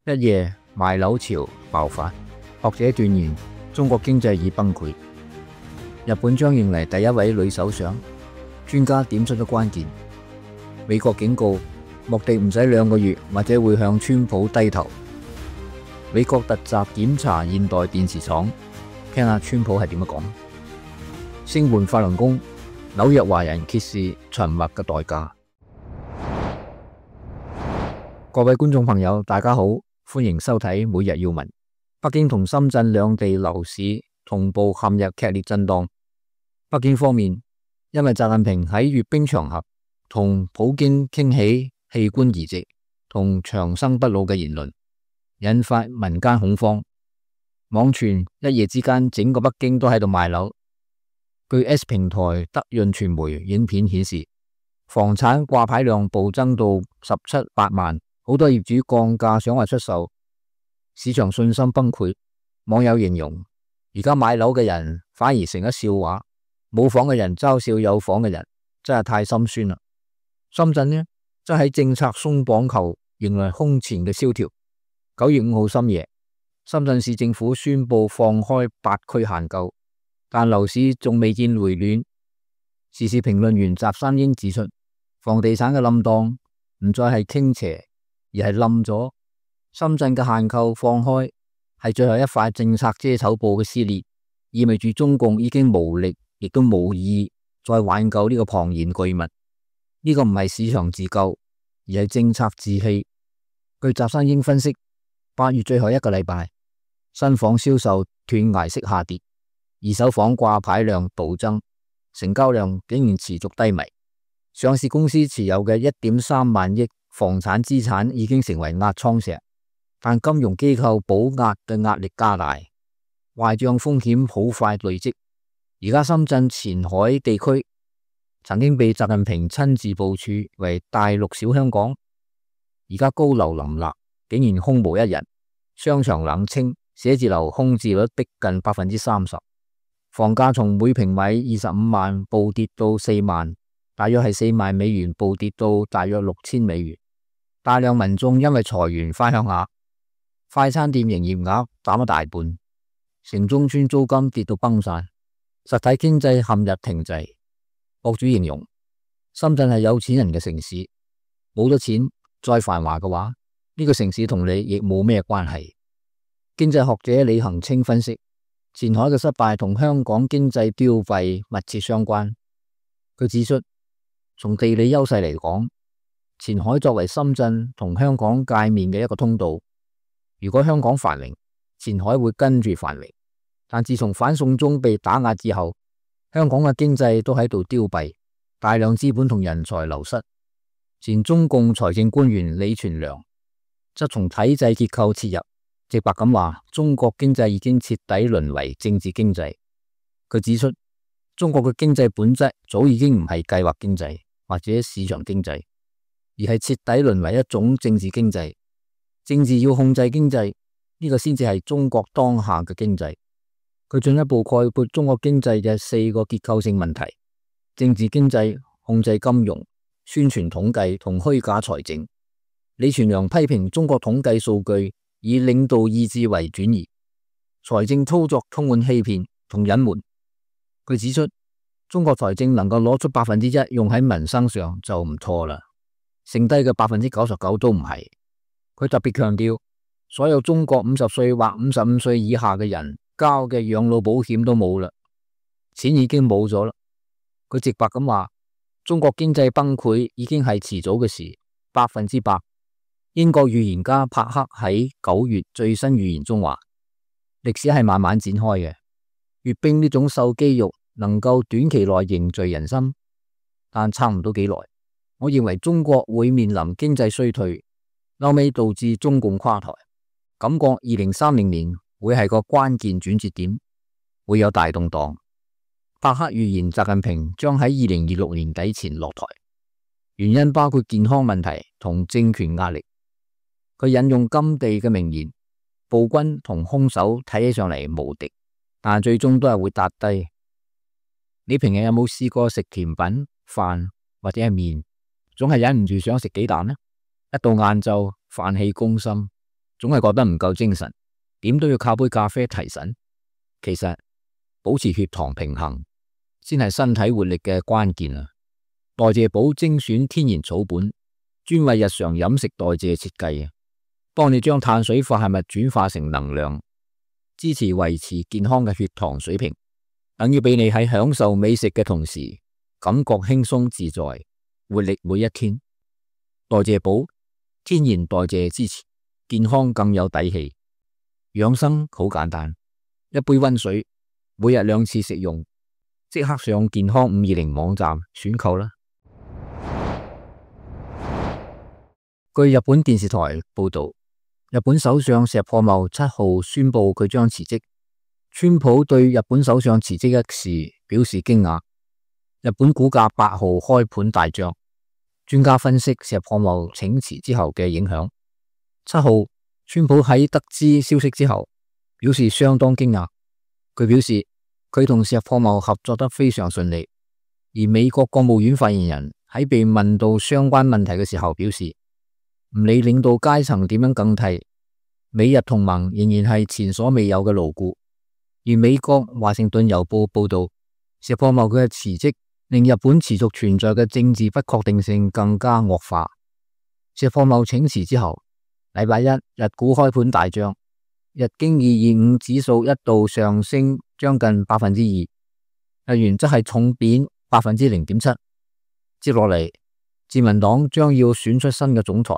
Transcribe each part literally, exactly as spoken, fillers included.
一夜賣樓潮爆發，學者斷言中國經濟已崩潰。日本將迎嚟第一位女首相，專家點出咗關鍵。美國警告莫迪唔使兩個月或者會向川普低頭。美國突襲檢查現代電視廠，聽下川普係點樣講。聲援法輪功，紐約華人揭示沉默嘅代價。各位觀眾朋友，大家好，歡迎收睇每日要聞。北京同深圳兩地樓市同步陷入劇烈震盪。北京方面因為習近平喺閱兵場合同普京傾起器官移植同長生不老嘅言論，引發民間恐慌。網傳一夜之間整個北京都喺度賣樓。據 S 平台德潤傳媒影片顯示，房產掛牌量暴增到十七八萬，好多業主降價想話出售，市場信心崩潰。網友形容而家買樓嘅人反而成咗笑話，冇房嘅人嘲笑有房嘅人，真係太心酸啦。深圳呢，則喺政策鬆綁後迎來空前嘅蕭條。九月五號深夜，深圳市政府宣布放開八區限購，但樓市仲未見回暖。時事評論員翟山英指出，房地產嘅冧檔唔再係傾斜，而係冧咗。深圳嘅限購放開係最後一塊政策遮醜布嘅撕裂，意味住中共已經無力，亦都無意再挽救呢個龐然巨物。呢個唔係市場自救，而係政策自棄。據翟山英分析，八月最後一個禮拜，新房銷售斷崖式下跌，二手房掛牌量暴增，成交量竟然持續低迷。上市公司持有嘅一點三萬億房產資產已經成為壓艙石，但金融機構保壓嘅壓力加大，壞賬風險好快累積。而家深圳前海地區曾經被習近平親自部署為大陸小香港，而家高樓林立，竟然空無一人，商場冷清，寫字樓空置率逼近百分之三十，房價從每平米二十五萬暴跌到四萬，大約係四萬美元暴跌到大約六千美元。大量民眾因為裁員返鄉下，快餐店營業額減咗大半，城中村租金跌到崩晒，實體經濟陷入停滯。博主形容深圳係有錢人嘅城市，冇咗錢再繁華嘅話，呢個城市同你亦冇咩關係。經濟學者李恒清分析，前海嘅失敗同香港經濟凋敝密切相關。佢指出，從地理優勢嚟講，前海作為深圳同香港界面嘅一個通道，如果香港繁榮，前海會跟住繁榮。但自從反送中被打壓之後，香港嘅經濟都喺度凋敝，大量資本同人才流失。前中共財政官員李全良則從體制結構切入，直白咁話中國經濟已經徹底淪為政治經濟。佢指出，中國嘅經濟本質早已經唔係計劃經濟或者市場經濟，而係徹底淪為一種政治經濟。政治要控制經濟，呢個先至係中國當下嘅經濟。佢進一步概括中國經濟嘅四個結構性問題：政治經濟、控制金融、宣傳統計同虛假財政。李全良批評中國統計數據以領導意志為轉移，財政操作充滿欺騙同隱瞞。佢指出，中國財政能夠攞出百分之一用喺民生上就唔錯啦，剩低嘅百分之九十九都唔係。佢特別強調，所有中國五十歲或五十五歲以下嘅人交嘅養老保險都冇啦，錢已經冇咗啦。佢直白咁話，中國經濟崩潰已經係遲早嘅事，百分之百。英國預言家帕克喺九月最新預言中話，歷史係慢慢展開嘅。閱兵呢種秀肌肉能夠短期內凝聚人心，但撐唔到幾耐。我認為中國會面臨經濟衰退，後尾導致中共垮台。感覺二零三零年會係個關鍵轉折點，會有大動盪。帕克預言習近平將喺二零二六年底前落台，原因包括健康問題同政權壓力。佢引用甘地嘅名言：暴君同兇手睇起上嚟無敵，但最終都係會撻低。你平日有冇試過食甜品、飯或者係麵，總係忍唔住想食幾啖呢？一到晏晝，飯氣攻心，總係覺得唔夠精神，點都要靠杯咖啡提神。其實保持血糖平衡先係身體活力嘅關鍵啊！代謝寶精選天然草本，專為日常飲食代謝設計啊，幫你將碳水化合物轉化成能量，支持維持健康嘅血糖水平，等於俾你喺享受美食嘅同時，感覺輕鬆自在，活力每一天。代謝寶天然代謝支持，健康更有底氣。養生好簡單，一杯溫水，每日兩次食用，即刻上健康五二零網站選購啦。據日本電視台報道，日本首相石破茂七號宣布佢將辭職。川普對日本首相辭職一事表示驚訝。日本股價八號開盤大漲。專家分析石破茂請辭之後嘅影響。七號，川普喺得知消息之後表示相當驚訝。佢表示佢同石破茂合作得非常順利。而美國國務院發言人喺被問到相關問題嘅時候表示，唔理領導階層點樣更替，美日同盟仍然係前所未有嘅牢固。而美國華盛頓郵報報道，石破茂佢嘅辭職令日本持續存在嘅政治不確定性更加惡化。石破茂請辭之後，禮拜一日股開盤大漲，日經二二五指數一度上升將近百分之二，日元則係重貶百分之零點七。接落嚟，自民黨將要選出新嘅總裁，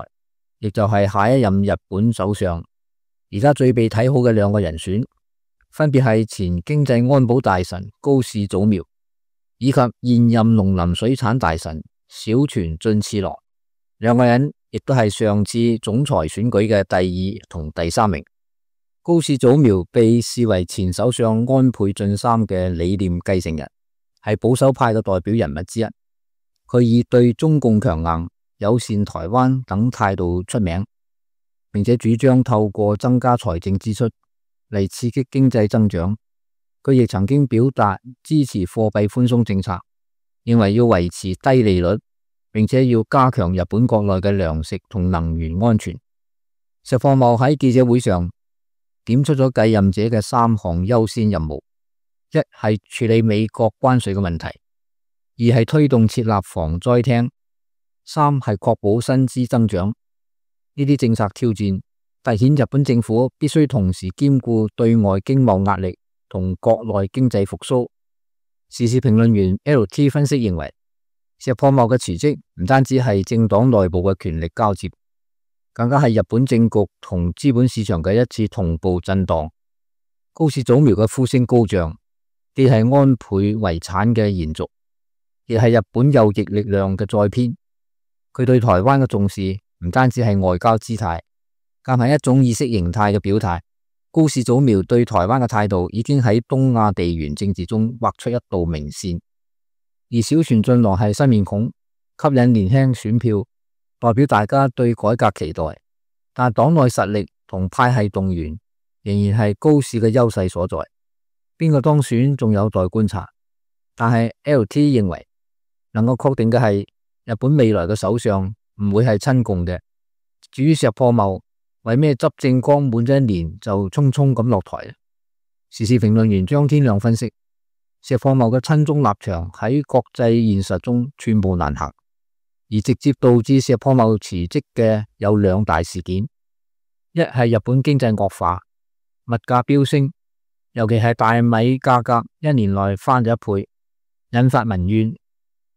亦就係下一任日本首相。而家最被睇好嘅兩個人選，分別係前經濟安保大臣高市早苗，以及現任農林水產大臣小泉進次郎。兩個人亦都係上次總裁選舉嘅第二同第三名。高市早苗被視為前首相安倍晉三嘅理念繼承人，係保守派嘅代表人物之一。佢以對中共強硬、友善台灣等態度出名，並且主張透過增加財政支出嚟刺激經濟增長。佢亦曾經表達支持貨幣寬鬆政策，認為要維持低利率，並且要加強日本國內嘅糧食同能源安全。石破茂喺記者會上點出咗繼任者嘅三項優先任務：一係處理美國關稅嘅問題，二係推動設立防災廳，三係確保薪資增長。呢啲政策挑戰凸顯日本政府必須同時兼顧對外經貿壓力同國內經濟復甦。時事評論員 L T 分析認為，石破茂嘅辭職唔單止係政黨內部嘅權力交接，更加係日本政局同資本市場嘅一次同步震盪。高市早苗嘅呼聲高漲，既係安倍遺產嘅延續，亦係日本右翼力量嘅再編。佢對台灣嘅重視唔單止係外交姿態，更係一種意識形態嘅表態。高市早苗對台灣嘅態度已經喺東亞地緣政治中畫出一道明線。而小泉進郎係新面孔，吸引年輕選票，代表大家對改革期待。但黨內實力同派系動員仍然係高市嘅優勢所在。邊個當選仲有待觀察。但係 L T 認為，能夠確定嘅係日本未來嘅首相唔會係親共嘅。至於石破茂為咩執政剛滿咗一年就匆匆咁落台呢？時事評論員張天亮分析，石破茂嘅親中立場喺國際現實中寸步難行，而直接導致石破茂辭職嘅有兩大事件：一係日本經濟惡化，物價飆升，尤其係大米價格一年內翻咗一倍，引發民怨；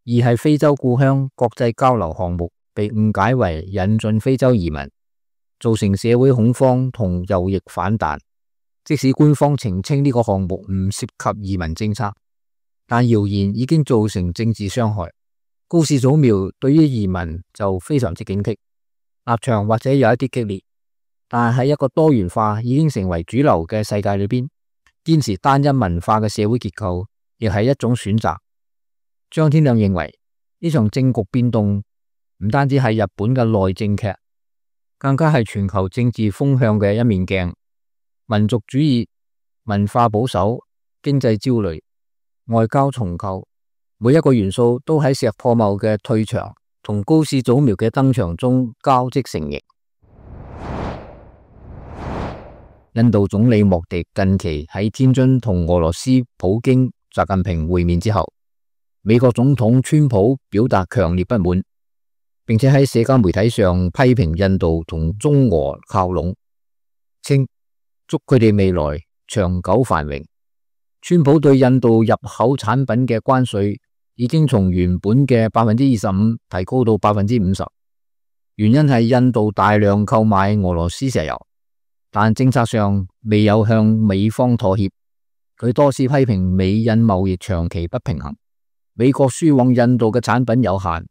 二係非洲故鄉國際交流項目被誤解為引進非洲移民，造成社會恐慌同右翼反彈。即使官方澄清呢個項目唔涉及移民政策，但謠言已經造成政治傷害。高市早苗對於移民就非常之警惕，立場或者有一啲激烈，但係喺一個多元化已經成為主流嘅世界裏邊，堅持單一文化嘅社會結構亦係一種選擇。張天亮認為，呢場政局變動唔單止係日本嘅內政劇，更加係全球政治風向嘅一面鏡。民族主義、文化保守、經濟焦慮、外交重構，每一個元素都喺石破茂嘅退場同高市早苗嘅登場中交織成形。印度總理莫迪近期喺天津同俄羅斯普京、習近平會面之後，美國總統川普表達強烈不滿，並且喺社交媒體上批評印度同中俄靠攏，稱祝佢哋未來長久繁榮。川普對印度入口產品嘅關稅已經從原本嘅百分之二十五提高到百分之五十，原因係印度大量購買俄羅斯石油，但政策上未有向美方妥協。佢多次批評美印貿易長期不平衡，美國輸往印度嘅產品有限，而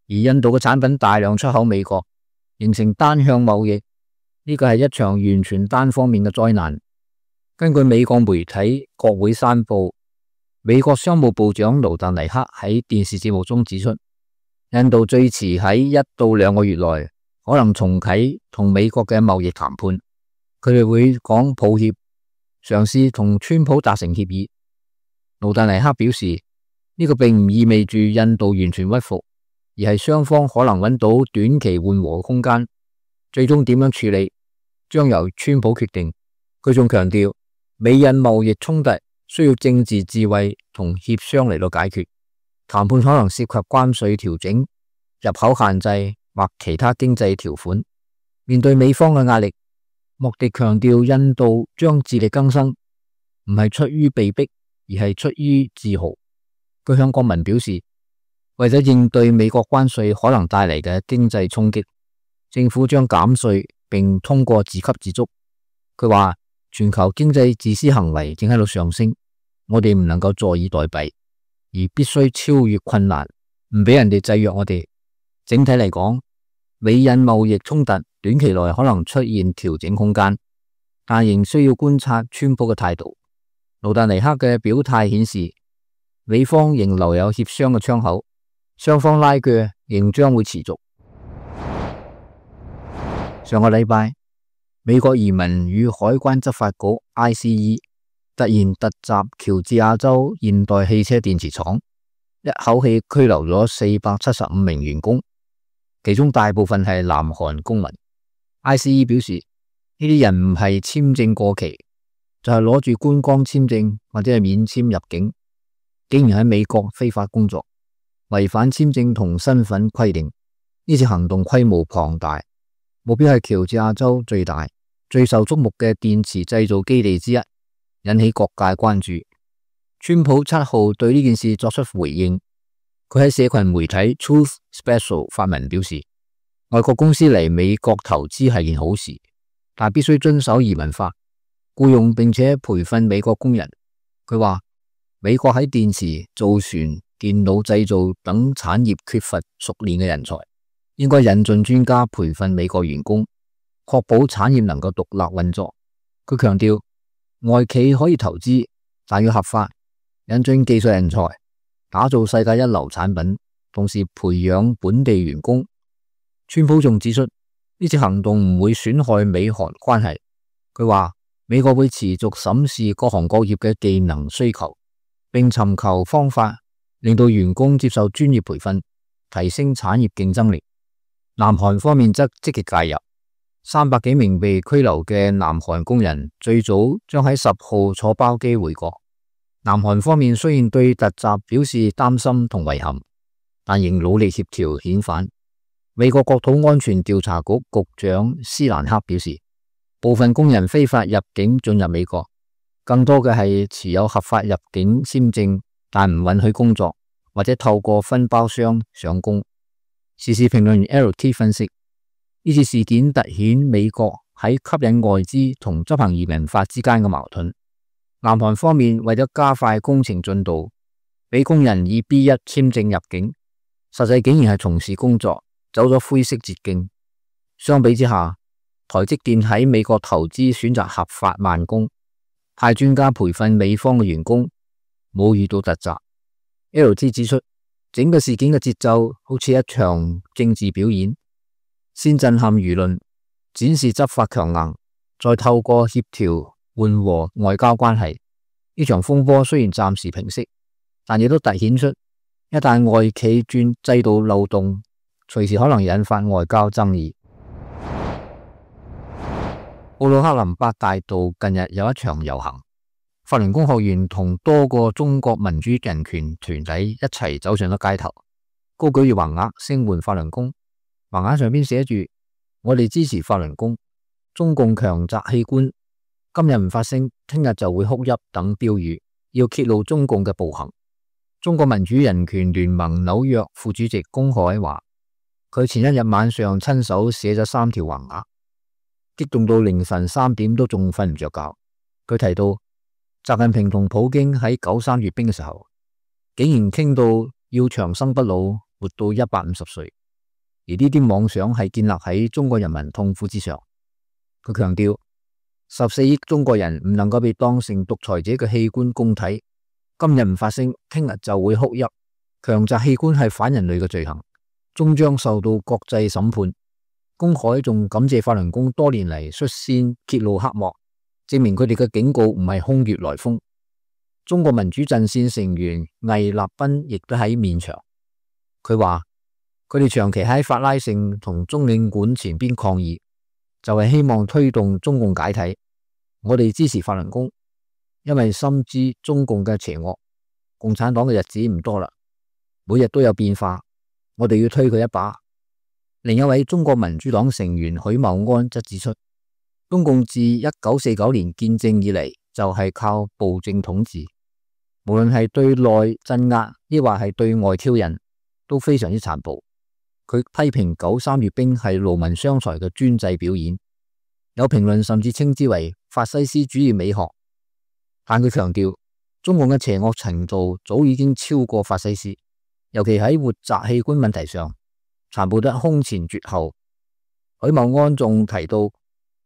印度嘅產品大量出口美國，形成單向貿易。呢個係一場完全單方面嘅災難。根據美國媒體國會山報，美國商務部長盧特尼克喺電視節目中指出，印度最遲喺一到兩個月內可能重啟同美國嘅貿易談判。佢哋會講抱歉，嘗試同川普達成協議。盧特尼克表示，呢個並唔意味住印度完全屈服，而係雙方可能揾到短期緩和空間。最終點樣處理，將由川普決定。佢仲強調，美印貿易衝突需要政治智慧同協商嚟到解決。談判可能涉及關稅調整、入口限制或其他經濟條款。面對美方嘅壓力，莫迪強調印度將自力更生，唔係出於被逼，而係出於自豪。佢向國民表示，為咗應對美國關稅可能帶嚟嘅經濟衝擊，政府將減稅並通過自給自足。佢話全球經濟自私行為正喺度上升，我哋唔能夠坐以待斃，而必須超越困難，唔俾人哋制約我哋。整體嚟講，美印貿易衝突短期內可能出現調整空間，但仍需要觀察川普嘅態度。盧特尼克嘅表態顯示，美方仍留有協商嘅窗口，雙方拉鋸仍將會持續。上個禮拜，美國移民與海關執法局 I C E 突然突襲喬治亞州現代汽車電池廠，一口氣拘留咗四百七十五名員工，其中大部分係南韓公民。I C E 表示，呢啲人唔係簽證過期，就係攞住觀光簽證或者係免簽入境，竟然喺美國非法工作，違反簽證同身份規定。呢次行動規模龐大，目標係喬治亞州最大、最受矚目嘅電池製造基地之一，引起各界關注。川普七號對呢件事作出回應，佢喺社群媒體 Truth Special 發文表示，外國公司嚟美國投資係件好事，但必須遵守移民法，僱用並且培訓美國工人。佢話美國喺電池、造船、電腦製造等產業缺乏熟練嘅人才，應該引進專家培訓美國員工，確保產業能夠獨立運作。佢強調，外企可以投資，但要合法，引進技術人才，打造世界一流產品，同時培養本地員工。川普仲指出，呢次行動唔會損害美韓關係。佢話美國會持續審視各行各業嘅技能需求，並尋求方法令到員工接受專業培訓，提升產業競爭力。南韓方面則積極介入，三百幾名被拘留嘅南韓工人最早將喺十號坐包機回國。南韓方面雖然對突襲表示擔心同遺憾，但仍努力協調遣返。美國國土安全調查局局長斯蘭克表示，部分工人非法入境進入美國，更多嘅係持有合法入境簽證但唔允許工作，或者透過分包商上工。時事評論員 L T 分析，呢次事件凸顯美國喺吸引外資同執行移民法之間嘅矛盾。南韓方面為咗加快工程進度，俾工人以 B 一 簽證入境，實際竟然係從事工作，走咗灰色捷徑。相比之下，台積電喺美國投資選擇合法慢工，派專家培訓美方嘅員工，冇遇到突襲。L T 指出，整個事件嘅節奏好似一場政治表演，先震撼輿論，展示執法強硬，再透過協調緩和外交關係。呢場風波雖然暫時平息，但亦都凸顯出一旦外企鑽制度漏洞，隨時可能引發外交爭議。布魯克林八大道近日有一場遊行，法輪功學員同多個中國民主人權團體一齊走上咗街頭，高舉住橫額聲援法輪功。橫額上邊寫住：我哋支持法輪功，中共強摘器官，今日唔發聲，聽日就會哭泣等標語，要揭露中共嘅暴行。中國民主人權聯盟紐約副主席龔可話，佢前一日晚上親手寫咗三條橫額，激動到凌晨三點都仲瞓唔着覺。佢提到習近平同普京喺九三閱兵嘅時候，竟然傾到要長生不老，活到一百五十歲，而呢啲妄想係建立喺中國人民痛苦之上。佢強調，十四億中國人唔能夠被當成獨裁者嘅器官供體，今日唔發聲，聽日就會哭泣。強摘器官係反人類嘅罪行，終將受到國際審判。龔可仲感謝法輪功多年嚟率先揭露黑幕，證明佢哋嘅警告唔係空穴來風。中國民主陣線成員魏立斌亦都喺面場，佢話佢哋長期喺法拉盛同中領館前邊抗議，就係希望推動中共解體。我哋支持法輪功，因為深知中共嘅邪惡，共產黨嘅日子唔多啦，每日都有變化，我哋要推佢一把。另一位中國民主黨成員許茂安則指出，中共自一九四九年建政以嚟就係靠暴政統治，無論係對內鎮壓抑或係對外挑釁，都非常之殘暴。佢批評九三閱兵係勞民傷財嘅專制表演，有評論甚至稱之為法西斯主義美學。但佢強調，中共嘅邪惡程度早已經超過法西斯，尤其喺活摘器官問題上，殘暴得空前絕後。許茂安仲提到，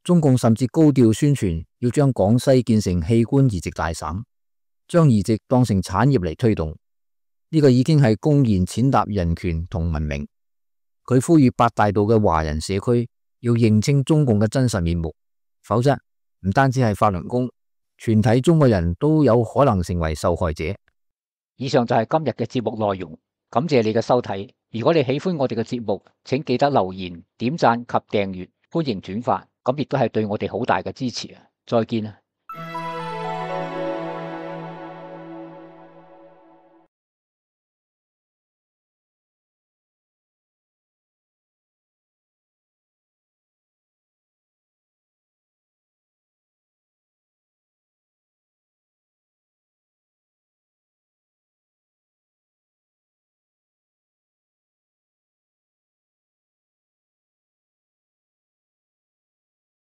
中共甚至高調宣傳要將廣西建成器官移植大省，將移植當成產業嚟推動，呢個已經係公然踐踏人權同文明。佢呼籲八大道嘅華人社區要認清中共嘅真實面目，否則唔單止係法輪功，全體中國人都有可能成為受害者。以上就係今日嘅節目內容，感謝你嘅收睇。如果你喜歡我哋嘅節目，請記得留言、點讚及訂閱，歡迎轉發，咁亦都係對我哋好大嘅支持啊！再見啊！